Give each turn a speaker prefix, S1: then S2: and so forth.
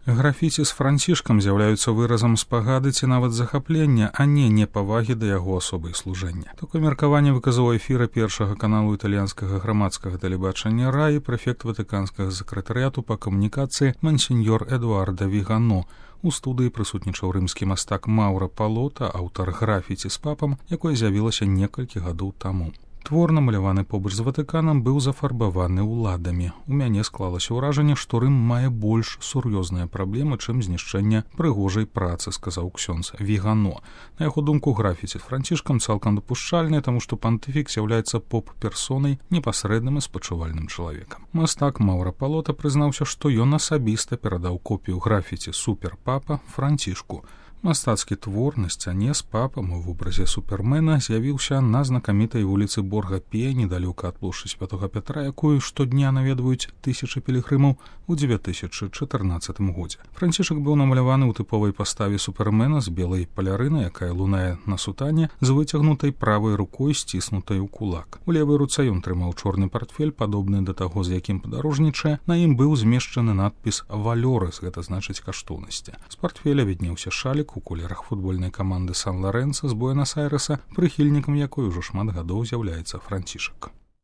S1: Графіці з францішкам з'яўляюцца выразам спагады ці нават захаплення, а не непавагі да яго асобы і служэння. Такое меркаванне выказаў у эфіры першага каналу італьянскага грамадскага тэлебачання РАІ прэфект ватыканскага сакратарыяту па камунікацыі мансіньёр Эдуарда Вігано. У студыі прысутнічаў рымскі мастак Маўра Палота, аўтар графіці з папам, якое з'явілася некалькі гадоў таму. Твор, намаляваны побач з Ватыканам, быў зафарбаваны ўладамі. У мяне склалася ўражанне, што Рым мае больш сур'ёзныя праблемы, чым знішчэнне прыгожай працы, сказаў ксёндз Вігано. На яго думку, графіці з францішкам цалкам дапушчальныя, таму што пантыфік з'яўляецца поп-персонай, непасрэдным і спачувальным чалавекам. Мастак Маўра Палота прызнаўся, што ён асабіста перадаў копію графіці «Супер-папа» Францішку. Мастацкі твор на сцяне з папам у вобразе супермена з'явіўся на знакамітай вуліцы Борга-Пе, недалёка ад плошчы Святога Пятра, якую штодня наведваюць тысячы пілігрымаў у 2014 годзе. Францішак быў намаляваны ў тыповай паставе супермена з белай палярына, якая лунае на сутане, з выцягнутай правай рукой, сціснутай у кулак. У левай руцэ ён трымаў чорны партфель, падобны да таго, з якім падарожнічае. На ім быў змешчаны надпіс «Валёрыс», гэта значыць каштоўнасці. З партфеля віднеўся шалік у колерах футбольнай каманды Сан-Лорэнца з Буэнас-Айрэса, прыхільнікам якой ужо шмат гадоў з'яўляецца Францішак.